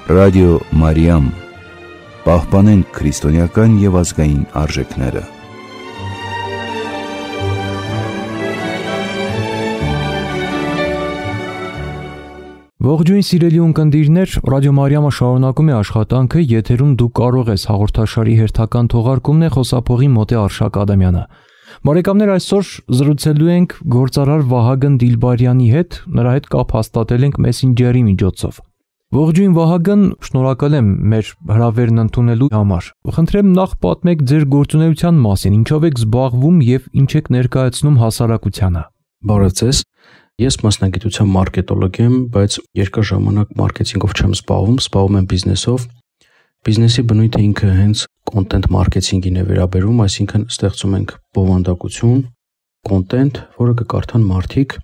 Ռադիո Մարիամ։ Պահպանենք քրիստոնեական և ազգային արժեքները։ Ողջույն սիրելի ունկնդիրներ, Ռադիո Մարիամը շարունակում է աշխատանքը, եթերում դու կարող ես հաղորդաշարի հերթական թողարկումն է, խոսափողի Մոտե Արշակ Ադամյանը։ Բարեկամներ, այսօր զրուցելու ենք գործարար Վահագն Դիլբարյանի հետ, նրա հետ կապ հաստատել ենք Messenger-ի միջոցով։ Ողջույն Վահագն, շնորհակալ եմ մեր հրավերն ընդունելու համար։ Խնդրեմ նախ պատմեք ձեր գործունեության մասին, ինչով եք զբաղվում եւ ինչ եք ներկայացնում հասարակությանը։ Բարև ձեզ։ Ես մասնագիտությամբ մարքետոլոգ եմ, բայց երկար ժամանակ մարքեթինգով չեմ զբաղվում եմ բիզնեսով։ Բիզնեսի բնույթը ինքը հենց կոնտենտ մարքեթինգին է վերաբերում, այսինքն ստեղծում ենք բովանդակություն, կոնտենտ, որը կկարդան մարդիկ։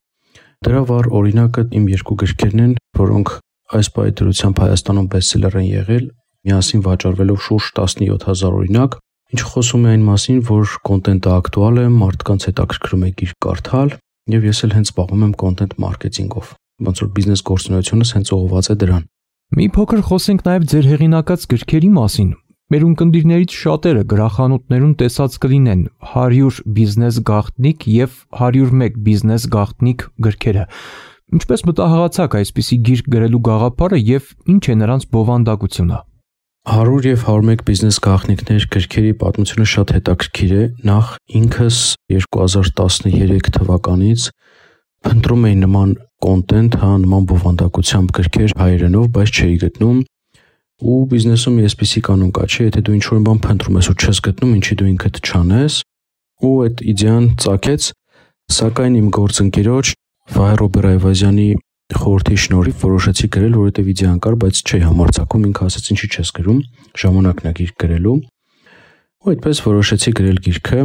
Դրա վառ օրինակը իմ երկու գրքերն են, որոնք այս պայթրությամբ Հայաստանում բեսթսելեր են եղել, միասին վաճառվելով շուրջ 17000 օրինակ, ինչը խոսում է այն մասին, որ կոնտենտը ակտուալ է, մարդկանց հետաքրքրում է գիրք կարդալ, եւ ես էլ հենց զբաղվում եմ կոնտենտ մարքեթինգով։ Ոնց որ բիզնես գործունեությունս հենց ուղղված է դրան։ Մի փոքր խոսենք նաև ձեր հեղինակած գրքերի մասին։ Մեր ունկնդիրներից շատերը գրախանութներում տեսած կլինեն 100 բիզնես գաղտնիք եւ 101 բիզնես գաղտնիք գրքերը։ Ինչպես մտահղացաք այսպիսի գիրք գրելու գաղափարը եւ ինչ է նրանց բովանդակությունը։ 100 եւ 101 բիզնես գաղտնիքներ գրքերի պատմությունը շատ հետաքրքիր է։ Նախ ինքս 2013 թվականից փնտրում էի նման կոնտենտ, նման բովանդակությամբ գրքեր հայերենով, բայց չէի գտնում։ Ու բիզնեսում այսպիսի կանոն կա, չէ, եթե դու ինչ-որ բան փնտրում ես ու չես գտնում, ինչի դու ինքդ չանես, ու այդ իդեան ծագեց, սակայն իմ գործընկերոջ Վահե Ռոբեր Այվազյանի խորհրդի շնորհիվ որոշեցի գրել, որովհետև իդեան կար, բայց չէի համարձակում, ինքը ասաց ինչի չես գրում, ժամանակն է գիրք գրելու։ Ու այդպես որոշեցի գրել գիրքը,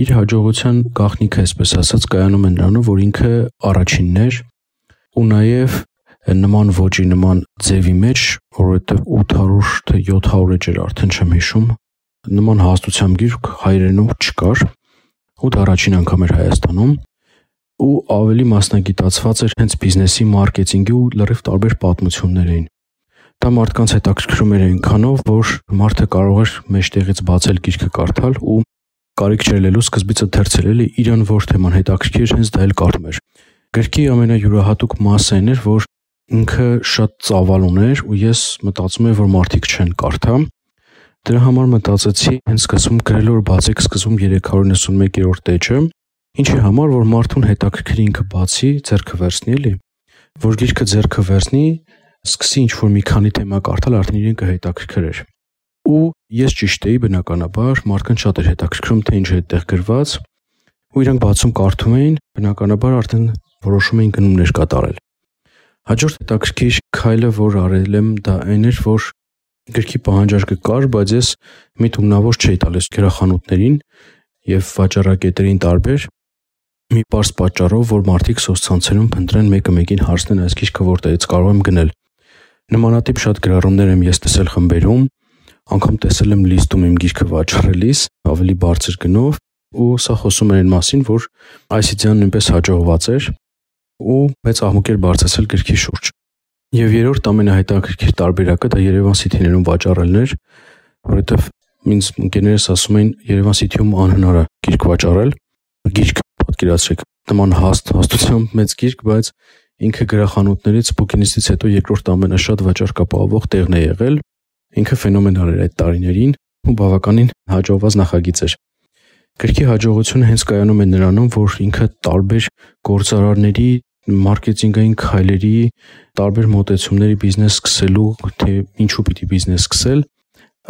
իր հաջողության գաղտնիքը, այսպես ասած, կայանում է նրանով, որ ինքը առաջինն էր ու նաև նման ոճի, նման ձևի մեջ, որովհետև 800 թե 700 էջեր արդեն չեմ հիշում, նման հաստությամբ գիրք հայերենում չկար, ու դա առաջին անգամ էր Հայաստանում, ու ավելի մասնագիտացված էր հենց բիզնեսի մարքեթինգի ու լրիվ տարբեր պատմություններ էին։ Դա մարդկանց հետաքրքրում էր այնքանով, որ մարդը կարող էր մեջտեղից բացել գիրքը կարդալ ու կարիք չելելու սկզբից ընթերցել, էլի իրան որ թեման հետաքրքիր, հենց դա էլ կարդում էր։ Գրքի ամենայուրահատուկ մասը այն էր, որ ինքը շատ ծավալ ուներ ու ես մտածում եմ, որ մարդիկ չեն կարդա։ Դրա համար մտածեցի հենց սկզբում գրել, որ բացեք սկզբում 391-րդ էջը, ինչի համար, որ մարդուն հետաքրքրի ինքը բացի, ձեռքը վերցնի, էլի, որ գիրքը ձեռքը վերցնի, սկսի ինչ-որ մի քանի թեմա կարդալ, արդեն իրեն կհետաքրքրեր։ Ու ես ճիշտ էի, բնականաբար, մարդկանց շատ էր հետաքրքրում, թե ինչ է այդտեղ գրված, ու իրանք բացում կարդում էին, բնականաբար արդեն որոշում էին գնումներ կատարել։ Հաջորդ հետաքրքիր քայլը, որ արել եմ, դա այն էր, որ գրքի պահանջարկը կար, բայց ես մի թումնավոր չէի տալիս գրախանութներին եւ վաճառակետերին տարբեր, մի պարզ պատճառով, որ մարդիկ սոցցանցերում փնտրեն մեկը մեկին հարցնեն այս գիրքը որտեղից կարող եմ գնել։ Նմանատիպ շատ գրառումներ եմ ես տեսել խմբերում, անգամ տեսել եմ լիստում իմ գիրքը վաճառելիս ավելի բարձր գնով, ու սա խոսում էր այն մասին, որ այս իդեան նույնպես հաջողված էր ու մեծ աղմուկ էր բարձրացել գրքի շուրջ։ Եվ երրորդ ամենահետաքրքիր տարբերակը դա Երևան City-ներում վաճառելն էր, որովհետև ինձ ընկերներս ասում էին Երևան City-ում անհնար է գիրք վաճառել, գիրք պատկերացրեք, նման հաստությամբ մեծ գիրք, բայց ինքը գրախանութներից բուկինիստից հետո երկրորդ ամենաշատ վաճառքապահովող տեղն է եղել, ինքը ֆենոմենալ էր այդ տարիներին ու բավականին հաջողված նախագիծ էր։ Գրքի հաջողությունը հենց կայանում է նրանում, որ ինքը տարբեր գործարարների, մարքեթինգային քայլերի, տարբեր մոտեցումների բիզնես սկսելու, թե ինչու պիտի բիզնես սկսել,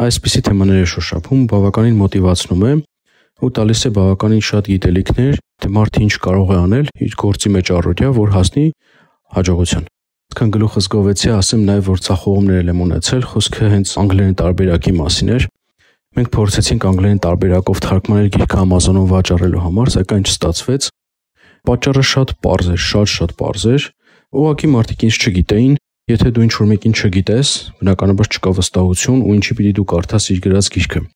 այսպիսի թեմաներ է շոշափում, բավականին մոտիվացնում է ու տալիս է բավականին շատ գիտելիքներ, թե մարդը ինչ կարող է անել իր գործի մեջ առօրյա, որ հասնի հաջողության։ Այսքան գլուխս գովեցի, ասեմ նաև, որ ցախողումներ եմ ունեցել, խոսքը հենց անգլերեն տարբերակի մասին էր։ Մենք փորձեցինք անգլերեն տարբերակով թարգմանել գիրքը Amazon-ում վաճառելու համար, սակայն չստացվեց։ Պատճառը շատ պարզ էր, շատ պարզ էր։ Ուղղակի մարդիկ ինձ չգիտեին, եթե դու ինչ-որ մեկին չգիտես, բնականաբար չկա վստահություն ու ինչի պիտի դու կարդաս իր գրած գիրքը։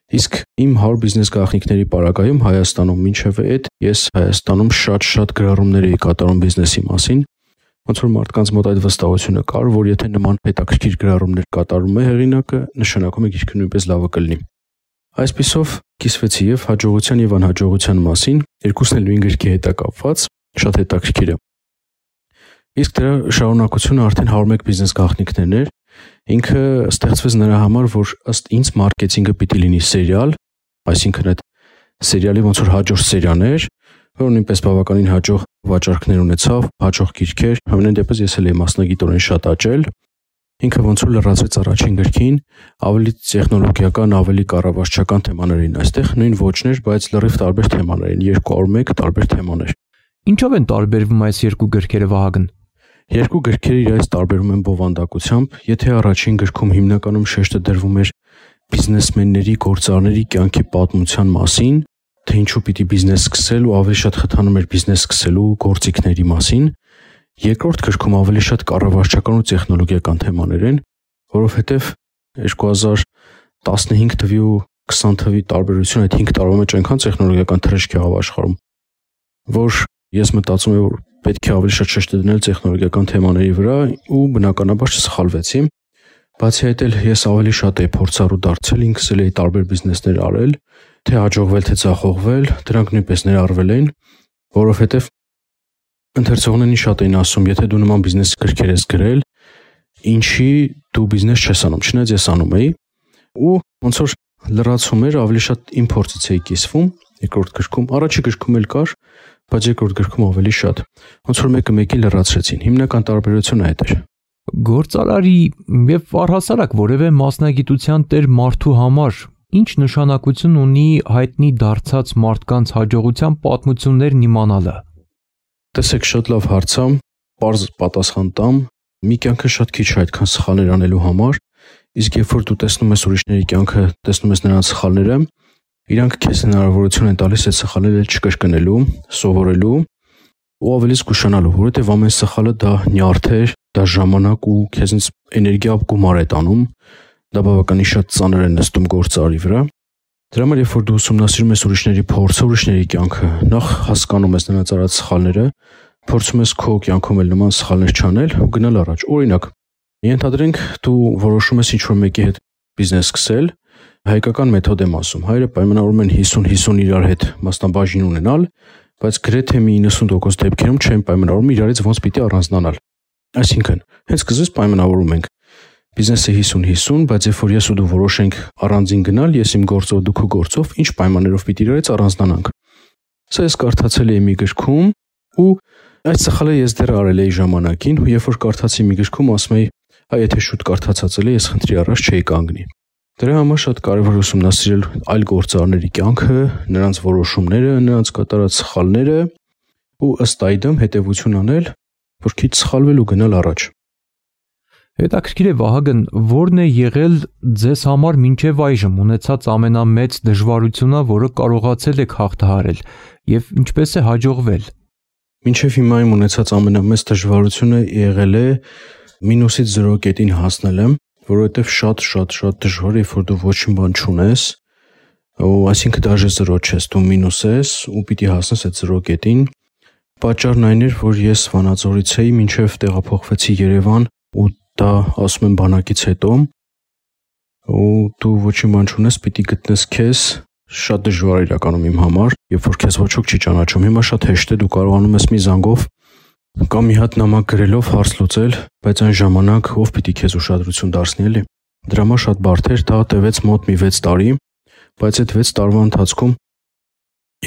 Իսկ իմ 100 բիզնես գաղտնիքների պարագայում Հայաստանում մինչև այդ ես Հայաստանում շատ գրառումներ էի կատարում բիզնեսի մասին ոնց որ մարդկանց մոտ այդ վստահությունը կար, որ եթե նման հետաքրքիր գրառումներ կատարում է հեղինակը, նշանակում է գիրքը նույնպես լավը կլինի։ Այսպիսով կիսվեցի եւ հաջողության եւ անհաջողության մասին, երկուսն էլ նույն գրքի հետ է կապված, շատ հետաքրքիր է։ Իսկ դրա շարունակությունը արդեն 101 բիզնես գաղտնիքներն էր։ Ինքը ստեղծվեց նրա համար, որ ըստ ինձ մարքեթինգը պիտի լինի սերիալ, այսինքն այդ սերիալի ոնց որ հաջորդ սերիան էր, որ նույնպես բավականին հաջող վաճառքներ ունեցավ, հաջող գիրքեր, համենայն դեպս ես էլ եմ մասնագիտորեն շատ աճել։ Ինքը ոնց որ լրացվեց առաջին գրքին, ավելի տեխնոլոգիական, ավելի կառավարչական թեմաներ էին այստեղ, նույն ոճներ, բայց լրիվ տարբեր թեմաներ էին, 201 տարբեր թեմաներ։ Ինչով են տարբերվում այս երկու գրքերը, Վահագն։ Երկու գրքերը իրարից տարբերվում են բովանդակությամբ, եթե առաջին գրքում հիմնականում շեշտը դրվում էր բիզնեսմենների, գործարարների կյանքի պատմության մասին, թե ինչու պիտի բիզնես սկսել ու ավելի շատ խթանում էր բիզնես սկսելու գործիքների մասին, երկրորդ գրքում ավելի շատ կառավարչական ու տեխնոլոգիական թեմաներ են, որովհետև 2015 թվի ու 20 թվի տարբերությունը այդ 5 տարվա մեջ այնքան տեխնոլոգիական թռիչք եղավ աշխարհում, որ ես մտածում եմ, որ պետք է ավելի շատ շեշտ դնել տեխնոլոգիական թեմաների վրա ու բնականաբար չսխալվեցի։ Բացի այդ էլ ես ավելի շատ էի փորձառու դարձել, ինքս էլ էի տարբեր բիզնեսներ արել, թե հաջողվել, թե ձախողվել, դրանք նույնպես ներառվել են, որովհետև ընթերցողներն շատ էին ասում, եթե դու նման բիզնես գրքեր ես գրել, ինչի դու բիզնես չես անում, չնայած ես անում էի, ու ոնց որ լրացում էր, ավելի շատ իմ փորձից էի կիսվում, երկրորդ գրքում, առաջի գրքում էլ կար, բայց երկրորդ գրքում ավելի շատ, ոնց որ մեկը մեկին լրացրեցին, հիմնական տարբերությունը այդ էր։ Գործարարի եւ առհասարակ որևէ մասնագիտության տեր մարդու համար ինչ նշանակություն ունի հայտնի դարձած մարդկանց հաջողության պատմություններն իմանալը։ Տեսեք, շատ լավ հարց է, պարզ պատասխան տամ, մի կյանքը շատ քիչ է այդքան սխալներ անելու համար, իսկ երբ որ դու տեսնում ես ուրիշների կյանքը, տեսնում ես նրանց սխալները, իրանք քեզ հնարավորություն են տալիս այդ սխալները չկրկնելու, սովորելու ու ավելի զգուշանալու, որովհետև ամեն սխալը դա նյարդ է, դա ժամանակ ու քեզնից էներգիա գումար է տանում, դա բավականին շատ ծանր է նստում գործարարի վրա։ Դրա համար երբ որ դու ուսումնասիրում ես ուրիշների փորձը, ուրիշների կյանքը, նախ հասկանում ես նրանց արած սխալները, փորձում ես քո կյանքում էլ նման սխալներ չանել ու գնալ առաջ։ Օրինակ, ենթադրենք դու որոշում ես ինչ-որ մեկի հետ բիզնես սկսել, հայկական մեթոդ եմ ասում, հայերը պայմանավորում են 50-50 իրար հետ մասնաբաժին ունենալ, բայց գրեթե մի 90% դեպքերում չեն պայմանավորում իրարից ոնց պիտի առանձնանալ։ Այսինքն, հենց սկզբից պայմանավորում ենք բիզնեսը 50-50, բայց երբ որ ես ու դու որոշենք առանձին գնալ, ես իմ գործով, դու քո գործով, ինչ պայմաններով պիտի իրարից առանձնանանք։ Սա ես կարդացել էի մի գրքում ու այդ սխալը ես դեռ արել էի ժամանակին, ու երբ որ կարդացի մի գրքում, ասում էի, այ եթե շուտ կարդացածել ես խնդրի առաջ չէի կանգնի։ Դրա համար շատ կարևոր է ուսումնասիրել այլ գործարարների կյանքը, նրանց որոշումները, նրանց կատարած սխալները ու ըստ այդմ հետևություն անել, որ քիչ սխալվել ու գնալ առաջ։ Հետաքրքիր է, Վահագն, ո՞րն է եղել ձեզ համար մինչև այժմ ունեցած ամենամեծ դժվարությունը, որը կարողացել եք հաղթահարել, եւ ինչպես է հաջողվել։ Մինչև հիմա իմ ունեցած ամենամեծ դժվարությունը եղել է մինուսից 0 կետին հասնելը, որովհետև շատ դժվար է, երբ որ դու ոչինչ բան չունես, ու այսինքն դաժե 0 չես, դու մինուս ես ու պիտի հասնես այդ 0 կետին։ Պատճառն այն էր, որ ես Վանաձորից էի, մինչև տեղափոխվեցի Երևան, ու դա ասում եմ բանակից հետո, ու դու ոչինչ բան չունես, պիտի գտնես քեզ, շատ դժվար է իրականում իմ համար, երբ որ քեզ ոչ ոք չի ճանաչում։ Հիմա շատ հեշտ է, դու կարողանում ես մի զանգով կամ մի հատ նամակ գրելով հարց լուծել, բայց այն ժամանակ ով պիտի քեզ ուշադրություն դարձնի, էլի։ Դրա համար շատ բարդ էր, դա տևեց մոտ մի 6 տարի, բայց այդ 6 տարվա ընթացքում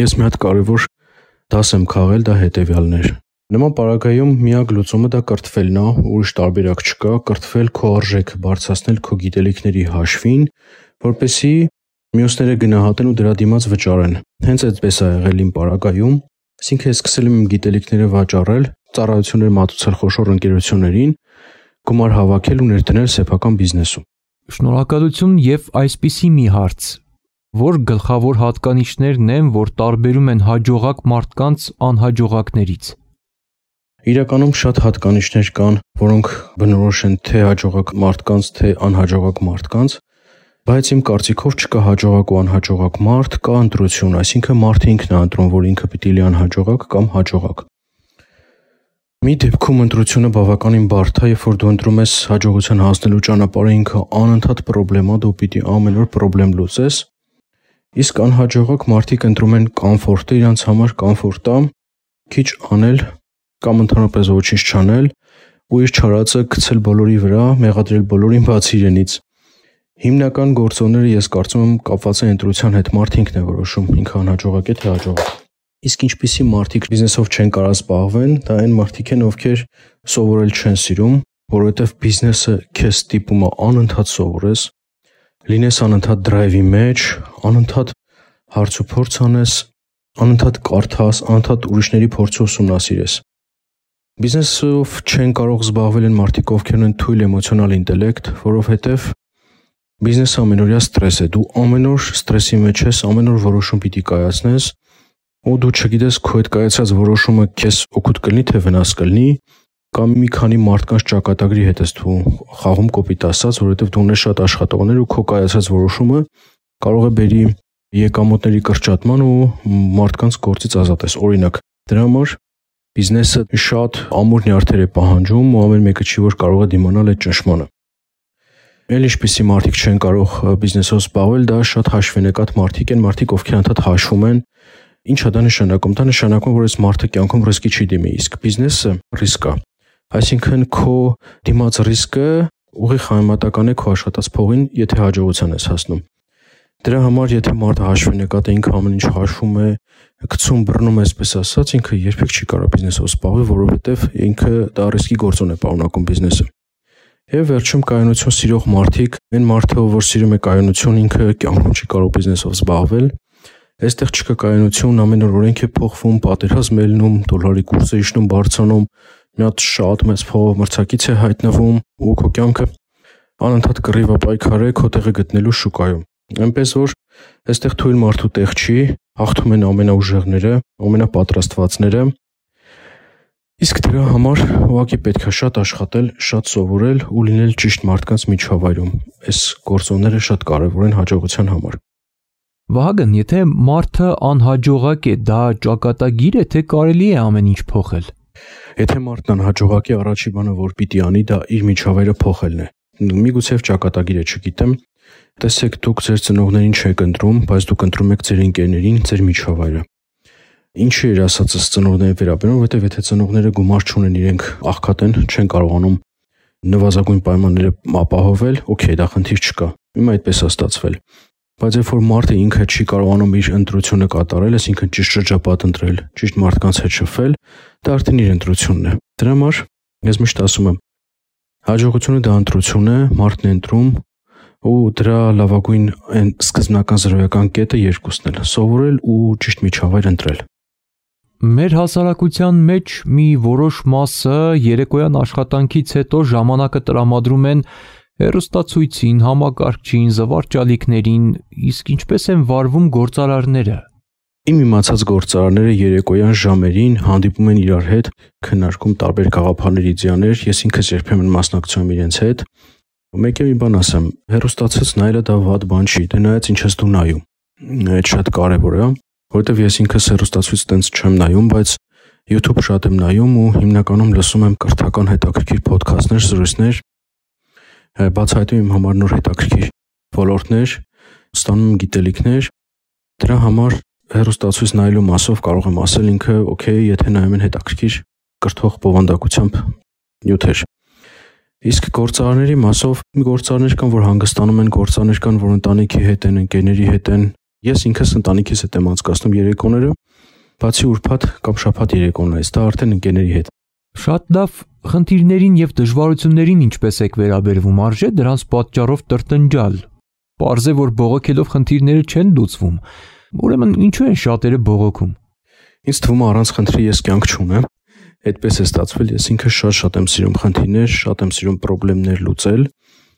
ես մի հատ կարևոր դաս եմ քաղել, դա հետևյալն էր։ Նման պարագայում միակ լուծումը դա կրթվելն է, ուրիշ տարբերակ չկա, կրթվել, քո արժեքը բարձրացնել քո գիտելիքների հաշվին, որպեսզի մյուսները գնահատեն ու դրա դիմաց վճարեն։ Հենց այդպես է եղել իմ պարագայում, այսինքն ես սկսել եմ իմ գիտելիքները վաճառել, ծառայություններ մատուցել խոշոր ընկերություններին, գումար հավաքել ու ներդնել սեփական բիզնեսում։ Շնորհակալություն եւ այսպիսի մի հարց. որ գլխավոր հատկանիշներն են, որ տարբերում են հաջողակ մարդկանց անհաջողակներից։ Իրականում շատ հատկանիշներ կան, որոնք բնորոշ են թե հաջողակ մարդկանց, թե անհաջողակ մարդկանց, բայց իմ կարծիքով չկա հաջողակ ու անհաջողակ մարդ, կա ընտրություն, այսինքն մարդը ինքն է ընտրում, որ ինքը պիտի լինի անհաջողակ կամ հաջողակ։ Մի դեպքում ընտրությունը բավականին բարդ է, երբ որ դու ընտրում ես հաջողության հասնելու ճանապարհը, ինքը անընդհատ խնդրեմ է, դու պիտի ամեն օր խնդրեմ լուծես։ Իսկ անհաջողակ մարդիկ ընտրում են կոմֆորտը, իրենց համար կոմֆորտ է քիչ անել կամ ընդհանրապես ոչինչ չանել ու իր չարածը գցել բոլորի վրա, մեղադրել բոլորին բացի իրենից։ Հիմնական գործոնները ես կարծում եմ կապված են ընտրության հետ, մարդը ինքն է որոշում, ինքը անհաջողակ է թե հաջող։ Իսկ ինչպիսի մարդիկ բիզնեսով չեն կարող զբաղվեն, դա այն մարդիկ են, ովքեր սովորել չեն սիրում, որովհետև բիզնեսը քեզ ստիպում է անընդհատ սովորես, լինես անընդհատ դրայվի մեջ, անընդհատ հարց ու փորձ անես, անընդհատ կարդաս, անընդհատ ուրիշների փորձը ուսումնասիրես։ Բիզնեսով չեն կարող զբաղվել են մարդիկ, ովքեր ունեն թույլ էմոցիոնալ ինտելեկտ, որովհետև բիզնեսը ամենօրյա ստրես է, դու ամեն օր ստրեսի մեջ ես, ամեն օր որոշում պիտի կայացնես, ու դու չգիտես քո այդ կայացած որոշումը քեզ օգուտ կլինի թե վնաս կլինի, կամ մի քանի մարդկանց ճակատագրի հետ ես դու խաղում կոպիտ ասած, որովհետև դու ունես շատ աշխատողներ ու քո կայացած որոշումը կարող է բերի եկամուտների կրճատման ու մարդկանց գործից ազատես։ Օրինակ, դրա համար բիզնեսը շատ ամուր նյարդեր է պահանջում ու ամեն մեկը չի որ կարող է դիմանալ այդ ճնշմանը։ Էլ ինչպիսի մարդիկ չեն կարող բիզնեսով զբաղվել, դա շատ հաշվենեկատ մարդիկ են, մարդիկ ովքեր անդադ հաշվում են։ Ինչ է դա նշանակում։ Դա նշանակում, որ այս մարդը կյանքում ռիսկի չի դիմի, իսկ բիզնեսը ռիսկ է։ Այսինքն քո դիմաց ռիսկը ուղիղ համեմատական է քո աշխատած փողին, եթե հաջողության ես հասնում։ Դրա համար, եթե մարդը հաշվենեկատ է, ինքը ամեն ինչ հաշվում է, գցում բռնում է, այսպես ասած, ինքը երբեք չի կարող բիզնեսով զբաղվել, որովհետև ինքը դա ռիսկի գործոն է պարունակում բիզնեսը։ Եվ վերջում կայունություն սիրող մարդիկ, այն մարդը, որ սիրում է կայունություն, ինքը կյանքում չի կարող բիզնեսով զբաղվել։ Այստեղ չկա կայունություն, ամեն օր օրենք է փոխվում, պատերազմ է լինում, դոլարի կուրսը իջնում, բարձրանում, մի հատ շատ մեծ փողով մրցակից է հայտնվում ու քո կյանքը անընդհատ կռիվ է պայքարել քո տեղը գտնելու շուկայում։ Այնպես որ այստեղ թույլ մարդու տեղ չի, հաղթում են ամենաուժեղները, ամենապատրաստվածները։ Իսկ դրա համար ուղղակի պետք է շատ աշխատել, շատ սովորել ու լինել ճիշտ մարդկանց միջավայրում։ Այս գործոնները շատ կարևոր են հաջողության համար։ Վահագն, եթե մարդը անհաջողակ է, դա ճակատագիր է, թե կարելի է ամեն ինչ փոխել։ Եթե մարդն անհաջողակ է, առաջի բանը որ պիտի անի, դա իր միջավայրը փոխելն է։ Միգուցե ճակատագիր է, չգիտեմ։ Տեսեք, դուք ձեր ծնողներին չեք ընտրում, բայց դուք ընտրում եք ձեր ընկերներին, ձեր միջավայրը։ Ինչի էր ասածս ծնողների վերաբերյալ, որովհետև եթե ծնողները գումար չունեն, իրենք աղքատ են, չեն կարողանում նվազագույն պայմանները ապահովել, օքեյ, դա խնդիր չկա։ Հիմա այդպես է ստացվել։ Բայց երբ որ մարդը ինքը չի կարողանում իր ընտրությունը կատարել, այսինքն ճիշտ շրջապատ ընտրել, ճիշտ մարդկանց հետ շփվել, դա արդեն իր ընտրությունն է։ Դրա համար ես միշտ ասում եմ, հաջողությունը դա ընտրություն է, մարդն է ընտրում ու դրա լավագույն այն սկզբնական զրոյական կետը երկուսն էլ՝ սովորել ու ճիշտ միջավայր ընտրել։ Մեր հասարակության մեջ մի որոշ մասը երեկոյան աշխատանքից հետո ժամանակը տրամադրում են հեռուստացույցին, համակարգչին, զվարճալիքներին, իսկ ինչպես են վարվում գործարարները։ Իմ իմացած գործարարները երեկոյան ժամերին հանդիպում են իրար հետ, քննարկում տարբեր գաղափարներ, իդեաներ, ես ինքս երբեմն մասնակցում եմ իրենց հետ։ Մեկ մի բան ասեմ, հեռուստացույց նայելը դա վատ բան չի, դե նայած ինչ ես դու նայում։ Այդ շատ կարևոր է, որովհետև ես ինքս հեռուստացույց տենց չեմ նայում, բայց YouTube շատ եմ նայում ու հիմնականում լսում եմ կրթական հետաքրքիր ոդքասթներ, զրույցներ, բացահայտում իմ համար նոր հետաքրքիր ոլորտներ, ստանում եմ գիտելիքներ։ Դրա համար հեռուստացույց նայելու մասով կարող եմ ասել ինքը օքեյ, եթե նայում են հետաքրքիր կրթող բովանդակությամբ նյութեր։ Իսկ գործարարների մասով գործարարներ կան, որ հանգստանում են, գործարարներ կան, որ ընտանիքի հետ են, ընկերների հետ են։ Ես ինքս ընտանիքիս հետ եմ անցկացնում երեկոները, բացի ուրբաթ կամ շաբաթ երեկոներից, դա արդեն ընկերների հետ։ Շատ լավ, խնդիրներին եւ դժվարություններին ինչպես եք վերաբերվում, արժե դրանց պատճառով տրտնջալ։ Պարզ է, որ բողոքելով խնդիրները չեն լուծվում։ Ուրեմն ինչու են շատերը բողոքում։ Ինձ թվում է առանց խնդրի ես կյանք չունեմ։ Այդպես է ստացվել, ես ինքս շատ եմ սիրում խնդիրներ, շատ եմ սիրում խնդիրներ լուծել,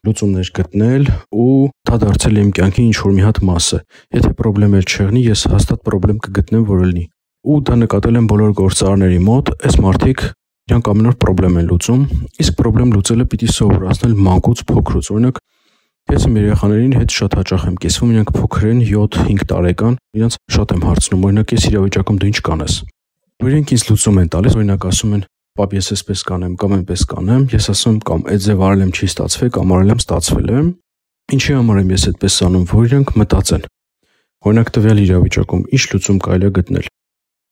լուծումներ գտնել ու դա դարձել է իմ կյանքի ինչ որ մի հատ մասը։ Եթե խնդրեմ չեղնի, ես հաստատ խնդրեմ կգտնեմ, որ լինի։ Ու դա նկատել եմ բոլոր գործարարների մոտ, այս մարդիկ իրանք ամեն օր խնդրեմ են լուծում, իսկ խնդրեմ լուծելը պիտի սովորացնել մանկուց փոքրուց։ Օրինակ, ես իմ երեխաներին հետ շատ հաճախ եմ կիսվում, իրանք փոքր են, 7-5 տարեկան, իրանք շատ եմ հարցնում, օրինակ, ես իրավիճակում դու ինչ կանես։ Իրենք ինձ լուծում են տալիս, օրինակ ասում են, պապ ես էսպես կանեմ կամ այնպես կանեմ, ես ասում եմ կամ այդ ձև արել եմ չի ստացվել կամ արել եմ ստացվել է, ինչի համար եմ ես այդպես անում, որ իրանք մտածեն։ Օրինակ տվյալ իրավիճակում ինչ լուծում կարելի է գտնել։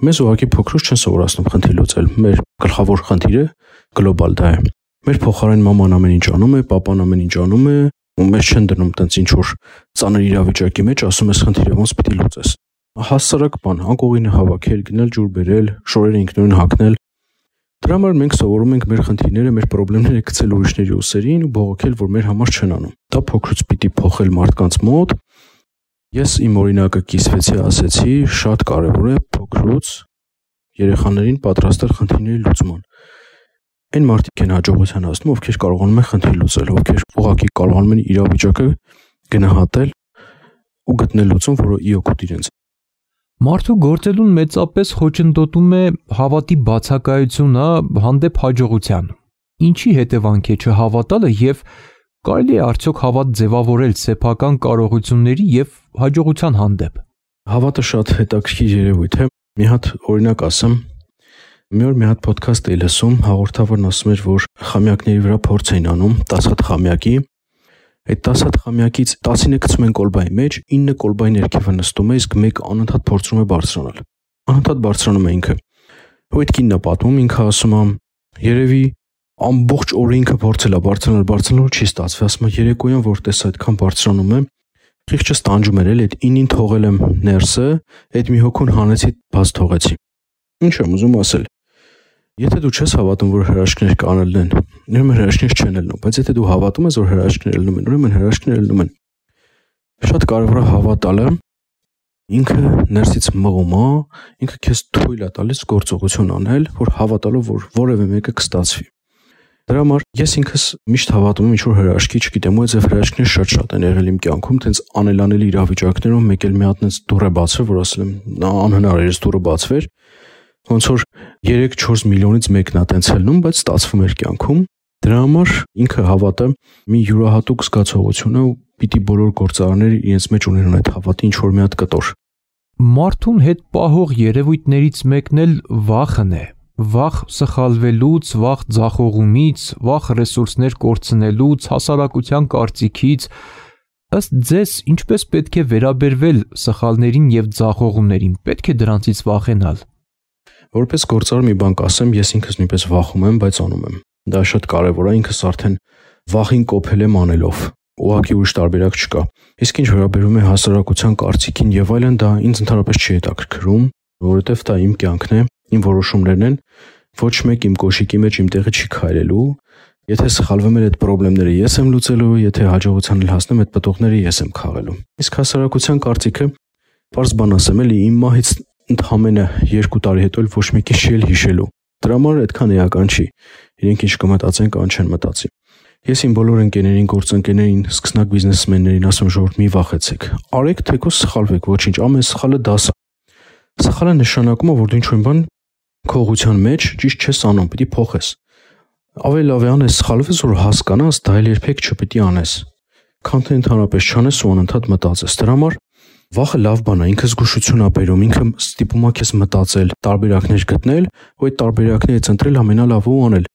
Մեզ ուղղակի փոքրուց չեն սովորացնում խնդիր լուծել։ Մեր գլխավոր խնդիրը գլոբալ դա է։ Մեր փոխարեն մաման ամեն ինչ անում է, պապան ամեն ինչ անում է, ու մեզ չեն դնում տենց ինչ որ ծանր իրավիճակի մեջ, ասում ես խնդիրը ոնց պիտի լուծես։ Հասարակ բան, անկողինը հավաքել, գնել ջուր բերել, շորերը ինքնուրույն հագնել։ Դրա համար մենք սովորում ենք մեր խնդիրները, մեր խնդիրները գցել ուրիշների ուսերին ու բողոքել, որ մեր համար չեն անում։ Դա փոքրուց պիտի փոխել մարդկանց մոտ։ Ես իմ օրինակը կիսվեցի, ասեցի, շատ կարևոր է փոքրուց երեխաներին պատրաստել խնդիրների լուծման։ Այն մարդիկ են հաջողության հասնում, ովքեր կարողանում են խնդիր լուծել, ովքեր ուղղակի կարողանում են իրավիճակը գնահատել ու գտնել լուծում, որը իօգուտ իրենց։ Մարդու գործելուն մեծապես խոչընդոտում է հավատի բացակայությունը հանդեպ հաջողության։ Ինչի հետևանք է չհավատալը եւ կարելի է արդյոք հավատ ձևավորել սեփական կարողությունների եւ հաջողության հանդեպ։ Հավատը շատ հետաքրքիր երևույթ է։ Մի հատ օրինակ ասեմ, մի օր մի հատ ոդքասթ էի լսում, հաղորդավարն ասում էր, որ խամյակների վրա փորձ էին անում 10 հատ խամյակի։ Այդ 10 հատ խամյակից 10-ը գցում են կոլբայի մեջ, 9 կոլբայի ներքևը նստում է, իսկ մեկը անընդհատ փորձում է բարձրանալ։ Անընդհատ բարձրանում է ինքը։ Ու այդ կինն է պատմում, ինքը ասում է, երևի ամբողջ օրը ինքը փորձել է բարձրանալ, չի ստացվել, ասում է երեկոյան որ տես այդքան բարձրանում է, խիղճը ստանջում էր էլ, այդ 9-ին թողել եմ ներսը, այդ մի հոգուն հանեցի, բաց թողեցի։ Ինչ եմ ուզում ասել։ Եթե դու չես հավատում, որ հրաշքներ կանելն են, ուրեմն հրաշքներ չեն ելնում, բայց եթե դու հավատում ես, որ հրաշքներ ելնում են, ուրեմն հրաշքներ ելնում են։ Շատ կարևոր է հավատալը, ինքը ներսից մղում է, ինքը քեզ թույլ է տալիս գործողություն անել, որ հավատալով, որ որևէ մեկը կստացվի։ Դրա համար ես ինքս միշտ հավատում եմ ինչ-որ հրաշքի, չգիտեմ, ու այդ հրաշքներ շատ են եղել իմ կյանքում, տենց անելանելի իրավիճակներում, մեկ էլ մի հատ տենց դուռ է բացվել, որ ասել եմ, անհնար էր այս դուռը բացվեր, ոնց որ 3-4 միլիոնից մեկն է տենց ելնում, բայց ստացվում էր կյանքում։ Դրա համար ինքը հավատը մի յուրահատուկ զգացողություն է ու պիտի բոլոր գործարարները իրենց մեջ ունենան այդ հավատի ինչ-որ մի հատ կտոր։ Մարդուն հետ պահող երևույթներից մեկն էլ վախն է։ Վախ սխալվելուց, վախ ձախողումից, վախ ռեսուրսներ կորցնելուց, հասարակության կարծիքից։ Ըստ ձեզ, ինչպես պետք է վերաբերվել սխալներին եւ ձախողումներին, պետք է դրանցից վախենալ։ Որպես գործարար մի բան կասեմ, ես ինքս նույնպես վախում եմ, բայց անում եմ։ Դա շատ կարևոր է, ինքս արդեն վախին կոփել եմ անելով։ Ուղղակի ուրիշ տարբերակ չկա։ Իսկ ինչ վերաբերում է հասարակության կարծիքին եւ այլն, դա ինձ ընդհանրապես չի հետաքրքրում, որովհետեւ դա իմ կյանքն է, իմ որոշումներն են, ոչ մեկ իմ կոշիկի մեջ իմ տեղը չի քայլելու։ Եթե սխալվում եմ, այդ խնդիրները ես եմ լուծելու, եթե հաջողության հասնեմ, այդ պտուղները ես եմ քաղելու։ Իսկ հասարակության կարծիքը, պարզ բան ասեմ, էլի իմ մահից ընդամենը 2 տարի հետո ոչ մեկի չի հիշելու։ Դրա համար այդքան էական չի։ Իրենք ինչ կմտածեն, կան չեն մտածի։ Ես իմ բոլոր ընկերներին, գործընկերներին, սկսնակ բիզնեսմեններին ասում ժողովուրդ մի վախեցեք։ Արեք թեկուզ սխալվեք, ոչինչ, ամեն սխալը դաս է։ Սխալը նշանակում է, որ դու ինչ-որ բան քողության մեջ ճիշտ չես անում, պիտի փոխես։ Ավելի լավ է անես սխալվես, որ հասկանաս, դա էլ երբեք չպիտի անես։ Քան թե ընդհանրապես չանես ու անընդհատ մտածես։ Դրա համար վախը լավ բան է, ինքը զգուշություն է բերում, ինքը ստիպում է քեզ մտածել, տարբերակներ գտնել, ու այդ տարբերակներից ընտրել ամենալավը ու անել,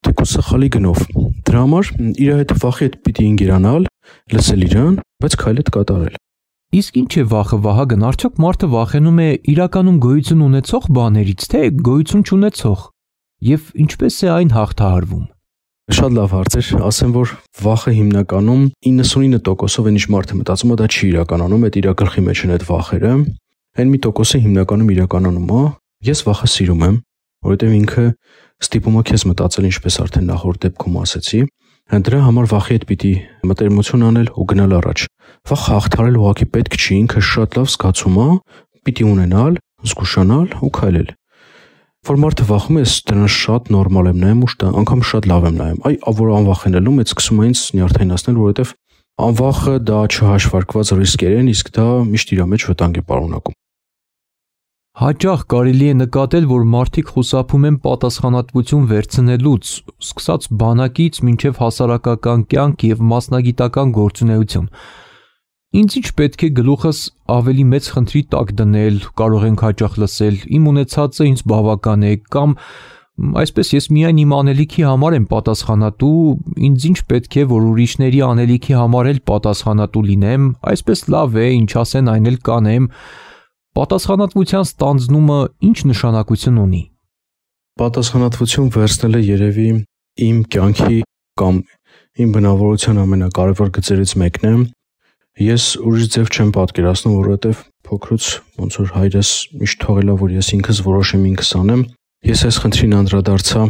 թեկուզ սխալի գնով։ Դրա համար իր հետ վախի հետ պիտի ինգերանալ, լսել իրան, բայց քայլդ կատարել։ Իսկ ինչ է վախը, Վահագն, արդյոք մարդը վախենում է իրականում գոյություն ունեցող բաներից, թե գոյություն չունեցող, եւ ինչպես է այն հաղթահարվում։ Շատ լավ հարց էր, ասեմ, որ վախը հիմնականում 99%-ով այն ինչ մարդը մտածում է, դա չի իրականանում, այդ իր գլխի մեջ են այդ վախերը, այն մի տոկոսը հիմնականում իրականում է։ Ես վախը սիրում եմ, որովհետև ինքը ստիպում է քեզ մտածել, ինչպես արդեն նախորդ դեպքում ասեցի, դրա համար վախի հետ պիտի մտերմություն անել ու գնալ առաջ։ Վախը հաղթահարել ուղղակի պետք չի, ինքը շատ լավ զգացում է, պիտի ունենալ, զգուշանալ ու քայլել։ Որ մարդը վախում է, դրան շատ նորմալ եմ նայում ու անգամ շատ լավ եմ նայում։ Որ անվախենալու մեծ սկսում է ինձ նյարդայնացնել, որովհետև անվախը դա չհաշվարկված ռիսկեր են, իսկ դա միշտ իր մեջ վտանգ է պարունակում։ Հաճախ կարելի է նկատել, որ մարդիկ խուսափում են պատասխանատվություն վերցնելուց, սկսած բանակից մինչև հասարակական կյանք եւ մասնագիտական գործունեություն։ Ինձ ինչ պետք է գլուխս ավելի մեծ խնդրի տակ դնել, կարող ենք հաճախ լսել, իմ ունեցածը ինձ բավական է, կամ Այսպես ես միայն իմ անելիքի համար եմ պատասխանատու, ինձ ինչ պետք է, որ ուրիշների անելիքի համար էլ պատասխանատու լինեմ, այսպես լավ է, ինչ ասեն այն էլ կանեմ։ Պատասխանատվության ստանձնումը ինչ նշանակություն ունի։ Պատասխանատվություն վերցնելը երևի իմ կյանքի կամ իմ բնավորության ամենակարևոր գծերից մեկն է։ Ես ուրիշ ձև չեմ պատկերացնում, որովհետև փոքրուց ոնց որ հայրս միշտ թողել է, որ ես ինքս որոշեմ, ինքս անեմ։ Ես այս խնդրին անդրադարձա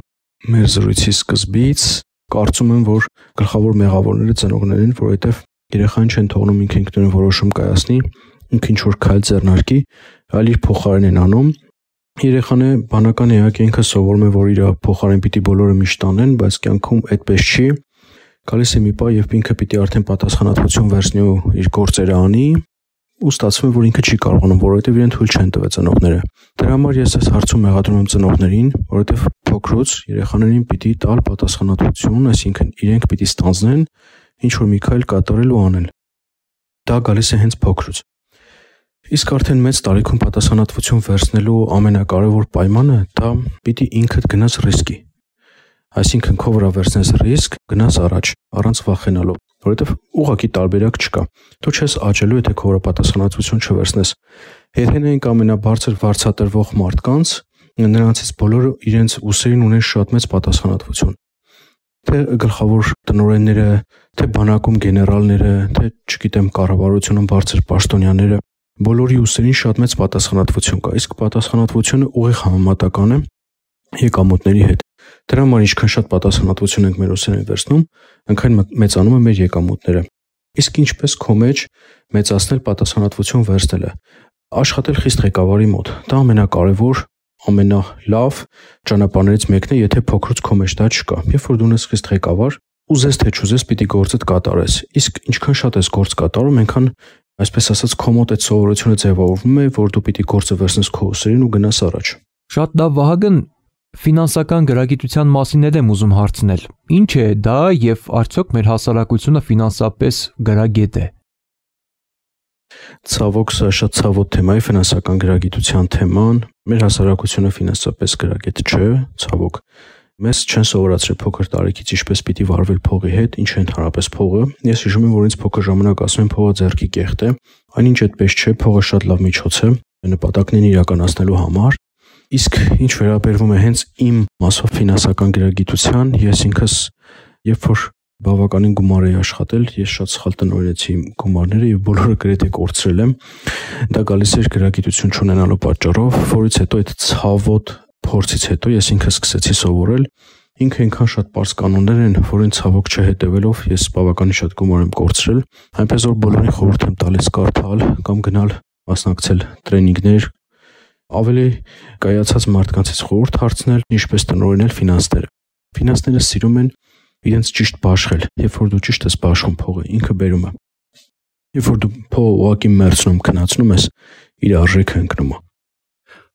մեր զրույցի սկզբից, կարծում եմ, որ գլխավոր մեղավորները ծնողներն են, որովհետև երեխան չեն թողնում ինքը ինքնուրույն որոշում կայացնի, ինքը ինչ որ քայլ ձեռնարկի, այլ իր փոխարեն են անում։ Երեխան է բանական էակ ինքը սովորում է, որ իր փոխարեն պիտի բոլորը միշտ անեն, բայց կյանքում այդպես չի։ Գալիս է մի պահ, երբ ինքը պիտի արդեն պատասխանատվություն վերցնի ու իր գործերը անի, ու ստացվում է, որ ինքը չի կարողանում, որովհետև իրեն թույլ չեն տվել ծնողները։ Դրա համար ես այս հարցում մեղադրում եմ ծնողներին, որովհետև փոքրուց երեխաներին պիտի տալ պատասխանատվություն, այսինքն իրենք պիտի ստանձնեն ինչ որ մի քայլ կատարել ու անել։ Դա գալիս է հենց փոքրուց։ Իսկ արդեն մեծ տարիքում պատասխանատվություն վերցնելու ամենակարևոր պայմանը դա պիտի ինքդ գնաս ռիսկի։ Այսինքն քո վրա վերցնես ռիսկ, գնաս առաջ, առանց վախենալու, որովհետև ուղղակի տարբերակ չկա։ Դու չես աճելու, եթե քո վրա պատասխանատվություն չվերցնես։ Եթե նայենք ամենաբարձր վարձատրվող մարդկանց, նրանցից բոլորը իրենց ուսերին ունեն շատ մեծ պատասխանատվություն։ Թե գլխավոր տնօրենները, թե բանակում գեներալները, թե չգիտեմ կառավարությունում բարձր պաշտոնյաները, բոլորի ուսերին շատ մեծ պատասխանատվություն կա, իսկ պատասխանատվությունը ուղիղ համեմատական է եկամուտների հետ։ Դրա համար ինչքան շատ պատասխանատվություն ենք մեր ուսերին վերցնում, այնքան մեծանում է մեր եկամուտները։ Իսկ ինչպես քո մեջ մեծացնել պատասխանատվություն վերցնելը։ Աշխատել խիստ ղեկավարի մոտ։ Դա ամենակարևոր, ամենալավ ճանապարհներից մեկն է, եթե փոքրուց քո մեջ դա չկա։ Երբ որ դու ես խիստ ղեկավար, ուզես թե չուզես պիտի գործդ կատարես։ Իսկ ինչքան շատ ես գործ կատարում, այնքան այսպես ասած քո մոտ այդ սովորությունը ձևավորվում է, որ դու պիտի գործը վերցնես քո ուսերին ու գնաս առաջ։ Շատ լավ, Վահագն, ֆինանսական գրագիտության մասին եմ ուզում հարցնել։ Ինչ է դա եւ արդյոք մեր հասարակությունը ֆինանսապես գրագետ է։ Ցավոք, սա շատ ցավոտ թեմա է, ֆինանսական գրագիտության թեման։ Մեր հասարակությունը ֆինանսապես գրագետ չէ, ցավոք։ Մեզ չեն սովորացրել փոքր տարիքից ինչպես պիտի վարվել փողի հետ, ինչ է ընդհանրապես փողը։ Ես հիշում եմ, որ ինձ փոքր ժամանակ ասում են փողը ձեռքի կեղտ է, այնինչ այդպես չէ, փողը շատ լավ միջոց է նպատակներին իրականացնելու համար։ Իսկ ինչ վերաբերվում է հենց իմ մասով ֆինանսական գրագիտության, ես ինքս երբ որ բավականին գումար էի աշխատել, ես շատ սխալ տնօրինեցի իմ գումարները եւ բոլորը գրեթե կորցրել եմ։ Դա գալիս էր գրագիտություն չունենալու պատճառով, որից հետո այդ ցավոտ փորձից հետո ես ինքս սկսեցի սովորել։ Ինքը այնքան շատ པարզ կանոններ են, որին ցավոք չհետևելով ես բավականին շատ գումար եմ կորցրել, այնպես որ բոլորին խորհուրդ եմ տալիս կարդալ կամ գնալ մասնակցել տրեյնինգներ, ավելի կայացած մարդկանցից խորհուրդ հարցնել, ինչպես տնօրինել ֆինանսները։ Ֆինանսները սիրում են իրենց ճիշտ բաշխել, երբ որ դու ճիշտ ես բաշխում փողը, ինքը բերում է։ Երբ որ դու փողը ուղղակի մերցնում, քնացնում ես, իր արժեքը ընկնում է։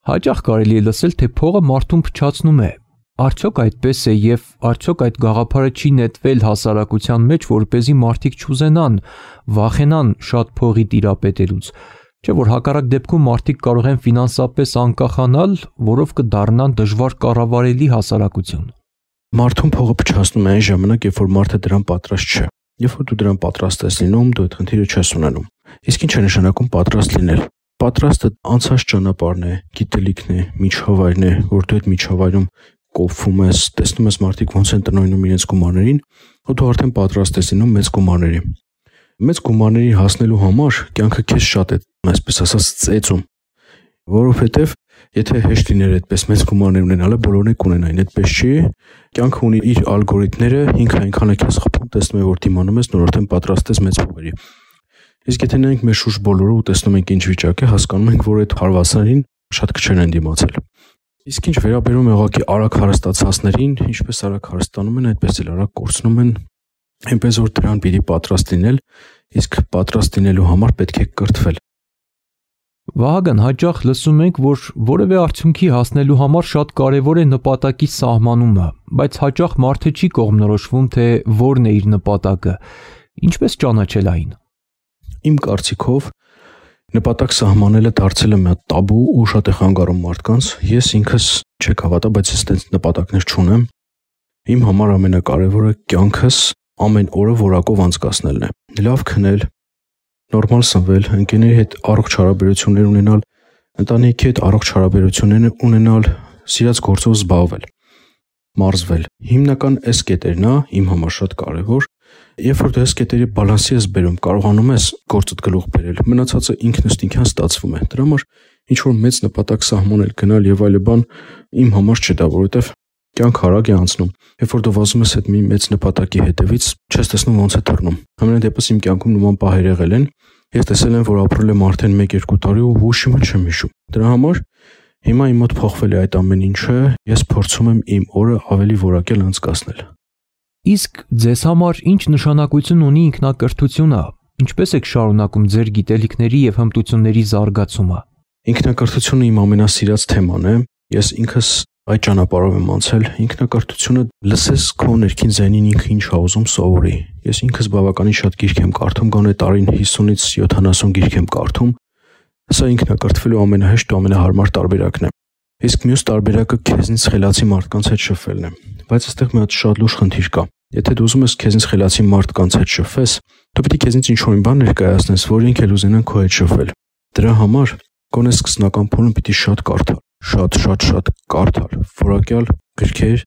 Հաճախ կարելի է լսել, թե փողը մարդուն փչացնում է։ Արդյոք այդպես է եւ արդյոք այդ գաղափարը չի նետվել հասարակության մեջ, որպեսզի մարդիկ չուզենան, վախենան շատ փողի տիրապետելուց։ Չէ՞ որ հակառակ դեպքում մարդիկ կարող են ֆինանսապես անկախանալ, որով կդառնան դժվար կառավարելի հասարակություն։ Մարդուն փողը փչացնում է այն ժամանակ, երբ որ մարդը դրան պատրաստ չէ։ Երբ որ դու դրան պատրաստ ես լինում, դու այդ խնդիրը չես ունենում։ Իսկ ինչ է նշանակում պատրաստ լինել։ Պատրաստը անցած ճանապարհն է, գիտելիքն է, միջավայրն է, որ դու այդ միջավայրում կոփվում ես, տեսնում ես մարդիկ ոնց են տնօրինում իրենց գումարներին, ու դու արդեն պատրաստ ես լինում մեծ գումարների։ Մեծ գումարների հասնելու համար կյանքը քեզ շատ է, այսպես ասած, ծեծում, որովհետև եթե հեշտ լիներ այդպես մեծ գումարներ ունենալը, բոլորն էլ կունենային, այդպես չի։ Կյանքը ունի իր ալգորիթմները, ինքը այնքան է քեզ խփում, տեսնում է, որ դիմանում ես, նոր արդեն պատրաստ ես մեծ փողերի։ Իսկ եթե նայենք մեր շուրջ բոլորը ու տեսնում ենք ինչ վիճակ է, հասկանում ենք, որ այդ հարվածներին շատ քչեր են դիմացել։ Իսկ ինչ վերաբերում է ուղղակի արագ հարստացածներին, ինչպես արագ հարստանում են, այդպես էլ արագ կորցնում են, այնպես որ դրան պիտի պատրաստ լինել, իսկ պատրաստ լինելու համար պետք է կրթվել։ Վահագն, հաճախ լսում ենք, որ որևէ արդյունքի հասնելու համար շատ կարևոր է նպատակի սահմանումը, բայց հաճախ մարդը չի կողմնորոշվում, թե որն է իր նպատակը։ Ինչպես ճանաչել այն։ Իմ կարծիքով, Նպատակ սահմանելը դարձել է մի հատ տաբու ու շատ է խանգարում մարդկանց։ Ես ինքս չեք հավատա, բայց ես այդպես նպատակներ չունեմ։ Իմ համար ամենակարևորը կյանքս ամեն օրը որակով անցկացնելն է։ Լավ քնել, նորմալ սնվել, ընկերների հետ առողջ հարաբերություններ ունենալ, ընտանիքի հետ առողջ հարաբերություններ ունենալ, սիրած գործով զբաղվել, մարզվել։ Հիմնական այս կետերն է իմ համար շատ կարևոր։ Երբ որ դու այս կետերի բալանսի ես բերում, կարողանում ես գործդ գլուխ բերել։ Մնացածը ինքնըստինքյան ստացվում է։ Դրա համար ինչ որ մեծ նպատակ սահմանել, գնալ եւ այլն իմ համար չէ դա, որովհետեւ կյանք արագ է անցնում։ Երբ որ դու վազում ես այդ մի մեծ նպատակի հետևից, չես տեսնում ոնց է թռնում։ Ամենայն դեպս իմ կյանքում նման պահեր եղել են։ Ես տեսել եմ, որ ապրել եմ արդեն 1-2 տարի ու ոչինչ չեմ հիշում։ Դրա համար հիմա իմ մոտ փոխվել է այդ ամեն ինչը, ես փորձում եմ իմ օրը ավելի որակել անցկացնել։ Իսկ ձեզ համար ինչ նշանակություն ունի ինքնակրթությունը։ Ինչպես եք շարունակում ձեր գիտելիքների եւ հմտությունների զարգացումը։ Ինքնակրթությունը իմ ամենասիրած թեման է։ Ես ինքս այդ ճանապարհով եմ անցել։ Ինքնակրթությունը լսես քո ներքին ձայնին ինքը ինչ ա ուզում սովորի։ Ես ինքս բավականին շատ գիրք եմ կարդում, գոնե տարին 50-ից 70 գիրք եմ կարդում։ Սա ինքնակրթվելու ամենահեշտ ու ամենահարմար տարբերակն է։ Իսկ մյուս տարբերակը քեզնից խելացի մարդկանց հետ շփվելն է։ Բայց այստեղ մի հատ շատ լուրջ խնդիր կա։ Եթե դու ուզում ես քեզնից խելացի մարդկանց հետ շփվես, դու պետք է քեզնից ինչ-որ բան ներկայացնես, որ ինքը էլ ուզենան քո հետ շփվել։ Դրա համար գոնե սկսնական փուլում պիտի շատ կարդալ, շատ կարդալ, որակյալ գրքեր,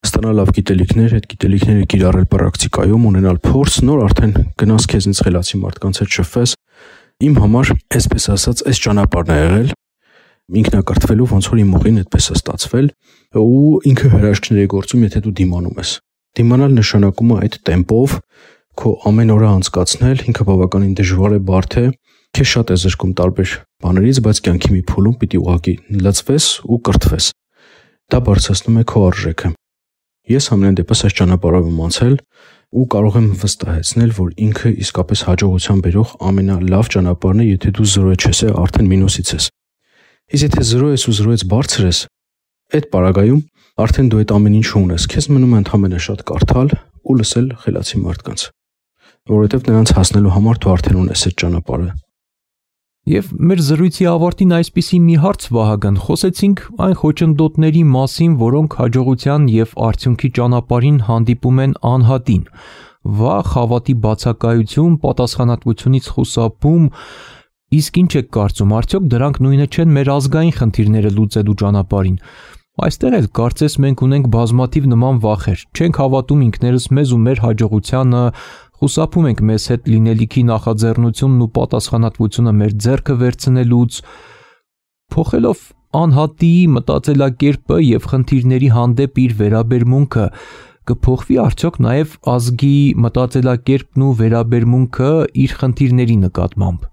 ստանալ լավ գիտելիքներ, այդ գիտելիքները կիրառել պրակտիկայում, ունենալ փորձ, նոր արդեն գնաս քեզնից խելացի մարդկանց հետ շփվես։ Իմ համար, այսպես ասած, այս ճանապարհն է եղել ինքնակրթվելու, ոնց որ իմ ուղին այդպես է ստացվել, ու ինքը հրաշքներ է գործում, եթե դու դիմանում ես։ Դիմանալ նշանակում է այդ տեմպով քո ամեն օրը անցկացնել, ինքը բավականին դժվար է, բարդ է, քեզ շատ է զրկում տարբեր բաներից, բայց կյանքի մի փուլում պիտի ուղղակի լծվես ու կրթվես։ Դա բարձրացնում է քո արժեքը։ Ես ամեն դեպս այս ճանապարհով եմ անցել ու կարող եմ վստահեցնել, որ ինքը իսկապես հաջողության բերող ամենալավ ճանապարհն է, եթե դու 0 չես, արդեն մինուսից ես։ Իսկ եթե 0 ես ու 0-ից բարձր ես, այդ պարագայում արդեն դու այդ ամեն ինչը ունես, քեզ մնում է ընդհանրապես շատ կարդալ ու լսել խելացի մարդկանց, որովհետև նրանց հասնելու համար դու արդեն ունես այդ ճանապարհը։ Եվ մեր զրույցի ավարտին այսպիսի մի հարց, Վահագն, խոսեցինք այն խոչընդոտների մասին, որոնք հաջողության եւ արդյունքի ճանապարհին հանդիպում են անհատին։ Վախ, հավատի բացակայություն, պատասխանատվությունից խուսափում։ Իսկ ինչ եք կարծում, արդյոք դրանք նույնը չեն մեր ազգային խնդիրները լուծելու ճանապարհին։ Այստեղ էլ կարծես մենք ունենք բազմաթիվ նման վախեր։ Չենք հավատում ինքներս մեզ ու մեր հաջողությանը, խուսափում ենք մեզ հետ լինելիքի նախաձեռնությունն ու պատասխանատվությունը մեր ձեռքը վերցնելուց։ Փոխելով անհատի մտածելակերպը եւ խնդիրների հանդեպ իր վերաբերմունքը, կփոխվի արդյոք նաեւ ազգի մտածելակերպն ու վերաբերմունքը իր խնդիրների նկատմամբ։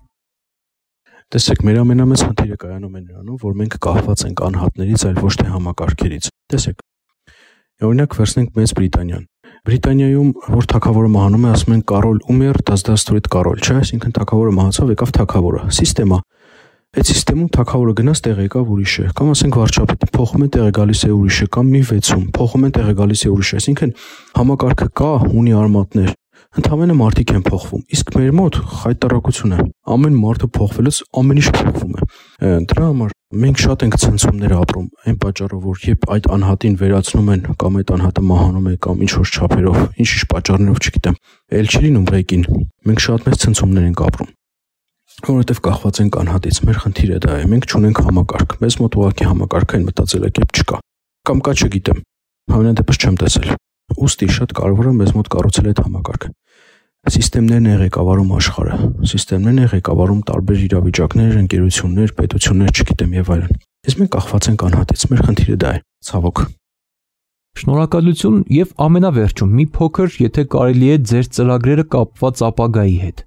Տեսեք, մեր ամենամեծ խնդիրը կայանում է նրանում, որ մենք կախված ենք անհատներից, այլ ոչ թե համակարգերից։ Տեսեք, օրինակ վերցնենք Մեծ Բրիտանիան։ Բրիտանիայում որ թագավորը մահանում է, ասում են Կարոլ Ումեր, դասդաստորիտ Կարոլ, չէ՞, այսինքն թագավորը մահացավ, եկավ թագավորը։ Սիստեմա։ Այդ սիստեմում թագավորը գնաց տեղ եկավ ուրիշը, կամ ասենք վարչապետը փոխում է տեղը գալիս է ուրիշը, կամ մի վեցում փոխում են տեղը գալիս է ուրիշը, այսինքն համակարգը կա, ունի արմատներ։ Ընդհանրապես մարդիկ են փոխվում, իսկ մեր մոտ խայտարակություն է։ Ամեն մարդը փոխվելուց ամեն ինչ փոխվում է։ Դրա համար մենք շատ ենք ցնցումներ ապրում, այն պատճառով, որ երբ այդ անհատին վերացնում են կամ այդ անհատը մահանում է կամ ինչ որ չափերով, ինչ պատճառներով չգիտեմ, ել չի լինում ղեկին։ Մենք շատ մեծ ցնցումներ ենք ապրում, որովհետև կախված ենք անհատից։ Մեր խնդիրը դա է, մենք չունենք համակարգ։ Մեզ մոտ ուղղակի համակարգային մտածելակերպ չկա։ Կամ կա, չգիտեմ։ Համենայնդեպս չեմ տեսել։ Ուստի շատ կարևոր է մեզ մոտ կառուցել այդ համակարգը։ Սիստեմներն են ղեկավարում աշխարհը, սիստեմներն են ղեկավարում տարբեր իրավիճակներ, ընկերություններ, պետություններ, չգիտեմ եւ այլն։ Իսկ մենք կախված ենք անհատից, մեր խնդիրը դա է, ցավոք։ Շնորհակալություն եւ ամենավերջում մի փոքր, եթե կարելի է, ձեր ծրագրերը կապված ապագայի հետ։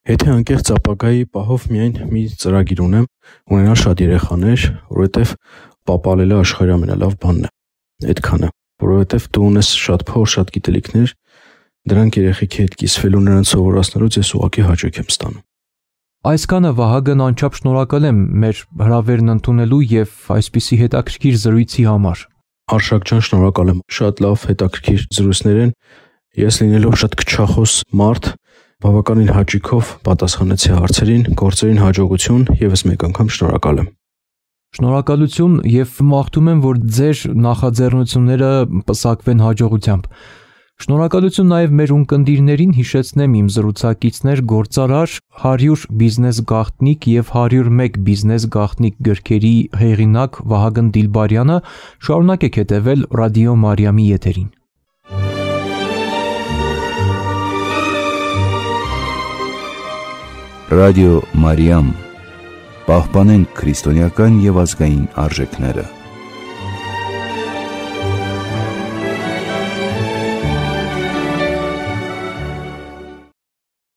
Եթե անկեղծ ապագայի պահով միայն մի ծրագիր ունեմ, ունենալ շատ երեխաներ, որովհետեւ պապալելը աշխարհի ամենալավ բանն է։ Այդքանը, որովհետեւ դու ունես շատ փոր, շատ գիտելիքներ, դրանք երեխեքի հետ կիսվելու նրանց սովորացնելուց ես ուղղակի հաճույք եմ ստանում։ Այսքանը Վահագն անչափ շնորհակալ եմ մեր հրավերն ընդունելու եւ այսպիսի հետաքրքիր զրույցի համար։ Արշակ ջան, շնորհակալ եմ։ Շատ լավ հետաքրքիր զրույցներ են։ Ես լինելով շատ քչախոս մարդ, Բավականին հաճույքով պատասխանեցի հարցերին, գործերին հաջողություն, եւս մեկ անգամ շնորհակալ եմ։ Շնորհակալություն եւ մաղթում եմ, որ ձեր նախաձեռնությունները պսակվեն հաջողությամբ։ Շնորհակալություն նաև մեր ունկնդիրներին, հիշեցնեմ իմ զրուցակիցներ գործարար 100 բիզնես գաղտնիք եւ 101 բիզնես գաղտնիք գրքերի հեղինակ Վահագն Դիլբարյանը, շարունակեք հետևել Ռադիո Մարիամի եթերին։ Ռադիո Մարիամ, պահպանենք քրիստոնեական եւ ազգային արժեքները։